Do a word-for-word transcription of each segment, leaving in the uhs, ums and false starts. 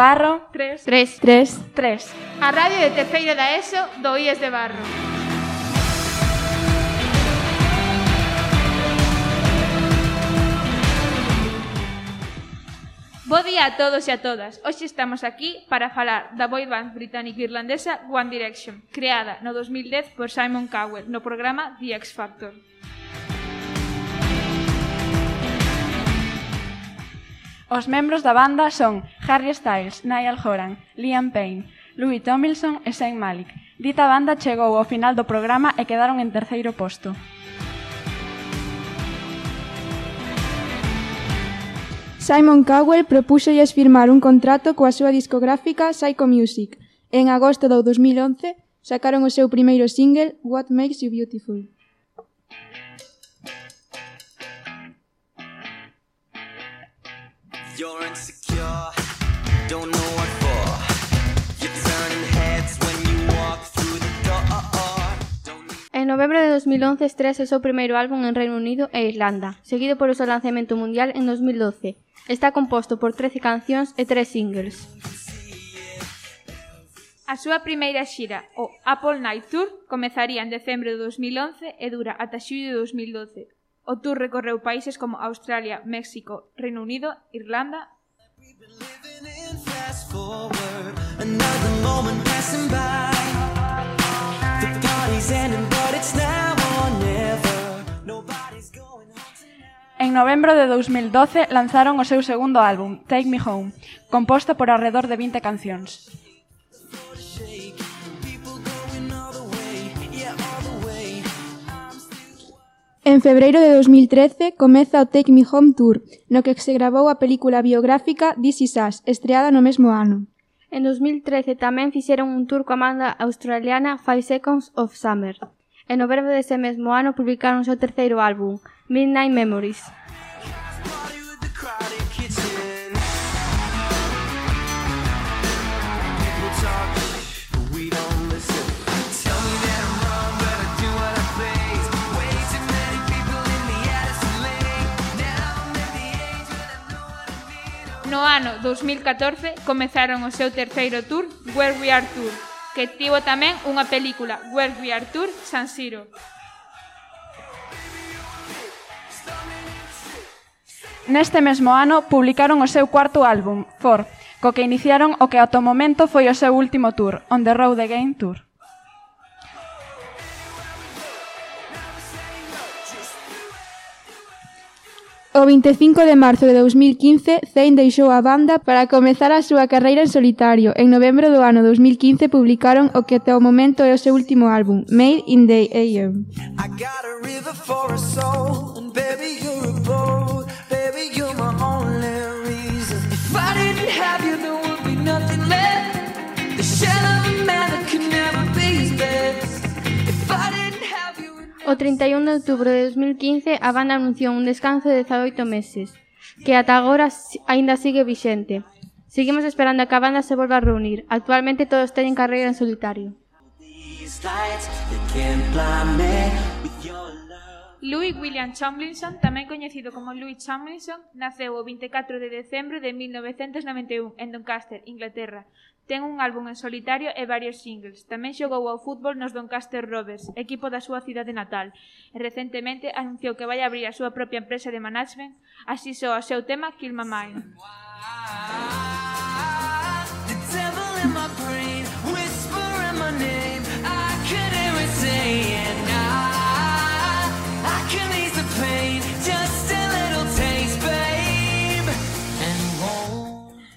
Barro. Tres. Tres. Tres. Tres. A radio de terceiro da ESO do I E S de Barro. Bo día a todos e a todas. Hoxe estamos aquí para falar da boy band británico-irlandesa One Direction, creada no dos mil dez por Simon Cowell no programa The X Factor. Os membros da banda son Harry Styles, Niall Horan, Liam Payne, Louis Tomlinson e Zayn Malik. Dita banda chegou ao final do programa e quedaron en terceiro posto. Simon Cowell propúxolles firmar un contrato coa súa discográfica Psycho Music. En agosto do dos mil once sacaron o seu primeiro single What Makes You Beautiful. You're insecure, don't know what for. You're turning heads when you walk through the door. En novembro de dos mil once estresa o seu primeiro álbum en Reino Unido e Irlanda, seguido polo seu lanzamento mundial en dos mil doce. Está composto por trece cancións e tres singles. A súa primeira xira, o Apple Night Tour, comezaría en decembro de dos mil once e dura ata xullo de dos mil doce. O tour recorreu países como Australia, México, Reino Unido, Irlanda. En novembro de dos mil doce lanzaron o seu segundo álbum, Take Me Home, composto por arredor de vinte cancións. En febreiro de dos mil trece comeza o Take Me Home Tour, no que se gravou a película biográfica This Is Us, estreada no mesmo ano. En dos mil trece tamén fixeron un tour coa banda australiana Five Seconds of Summer. En novembro dese mesmo ano publicaron o seu terceiro álbum, Midnight Memories. No ano dos mil catorce comezaron o seu terceiro tour, Where We Are Tour, que tivo tamén unha película, Where We Are Tour San Siro. Neste mesmo ano publicaron o seu cuarto álbum, Four, co que iniciaron o que ata o momento foi o seu último tour, On the Road Again Tour. O vinte e cinco de marzo de dos mil quince, Zayn deixou a banda para comezar a súa carreira en solitario. En novembro do ano dos mil quince publicaron o que até o momento é o seu último álbum, Made in the A M. I got a river for a soul, and baby you're a boat, baby you're my only reason. If I didn't have you there would be nothing left, the shell of a man that could never be his best. If I didn't have you. O trinta e un de outubro de dos mil quince a banda anunciou un descanso de dezaoito meses, que ata agora aínda sigue vixente. Seguimos esperando a que a banda se volva a reunir. Actualmente todos teñen carreira en solitario. Louis William Tomlinson, tamén coñecido como Louis Tomlinson, naceu o vinte e catro de decembro de mil novecentos noventa e un en Doncaster, Inglaterra. Ten un álbum en solitario e varios singles. Tamén xogou ao fútbol nos Doncaster Rovers, equipo da súa cidade natal, e recentemente anunciou que vai abrir a súa propia empresa de management, así soa o seu tema Kill My Mind.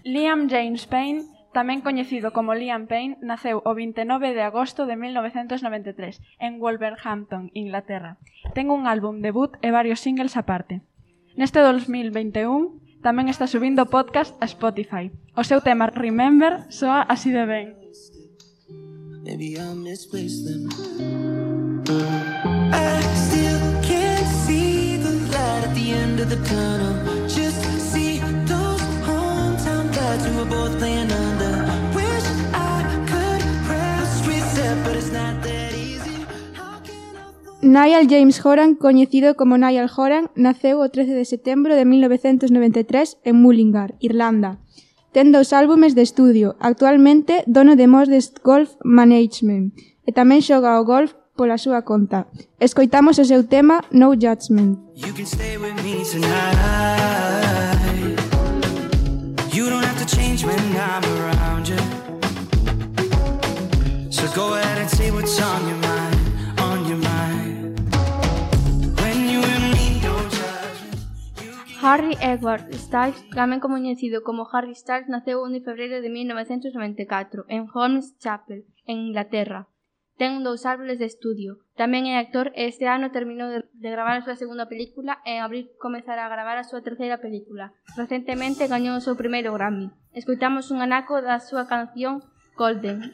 Liam James Payne, tamén coñecido como Liam Payne, naceu o vinte e nove de agosto de mil novecentos noventa e tres en Wolverhampton, Inglaterra. Ten un álbum debut e varios singles aparte. Neste dos mil vinte e un tamén está subindo podcast a Spotify. O seu tema Remember soa así de ben. Maybe I misplaced them. I still can't see the light at the end of the tunnel. Just see those hometown lights we were both playing under. Wish I could press reset, but it's not that easy. Niall James Horan, coñecido como Niall Horan, naceu o trece de setembro de mil novecentos noventa e tres en Mullingar, Irlanda. ten dous álbumes de estudio, actualmente dono de Modest Golf Management, e tamén xoga ao golf pola súa conta. Escoitamos o seu tema No Judgment. You can stay with me tonight. You don't have to change when I'm around you. So go ahead and say what's on your mind, on your mind. When you and me don't judge me. Harry Edward Styles, tamén coñecido como Harry Styles, naceu o un de febreiro de mil novecentos noventa e catro en Holmes Chapel, en Inglaterra. Ten dous álbumes de estudio. Tamén é actor e este ano terminou de, de gravar a súa segunda película e en abril comezará a gravar a súa terceira película. Recentemente gañou o seu primeiro Grammy. Escoitamos un anaco da súa canción Golden.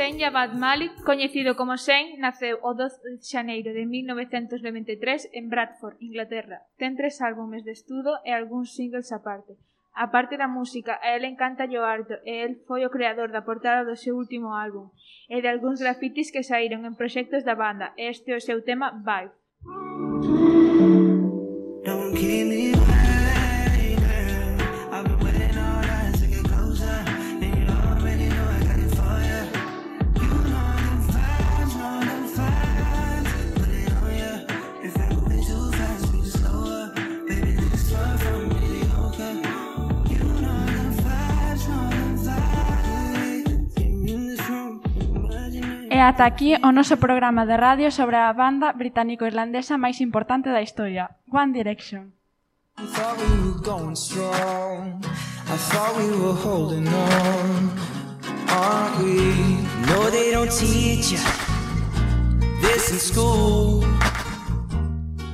Zayn Javad Malik, coñecido como Zayn, naceu o doce de xaneiro de mil novecentos noventa e tres en Bradford, Inglaterra. Ten tres álbumes de estudo e algúns singles aparte. A parte da música, a él encanta o arte e el foi o creador da portada do seu último álbum e de algúns grafitis que saíron en proxectos da banda. Este é o seu tema Vibe. Don't keep me waiting. I've been waiting all night to get closer. And you already know I got it for you. You know the vibes, know the vibes. Put it on you. If it goes too fast, we can slow up. Baby, this far from mediocre. You know the vibes, know the vibes. In this room, imagine it. E ata aquí o noso programa de radio sobre a banda británico-irlandesa máis importante da historia, One Direction. I thought we were going strong. I thought we were holding on. Aren't we? No, they don't teach you this in school.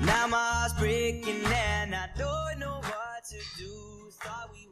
Now my heart's breaking and I don't know what to do. Thought we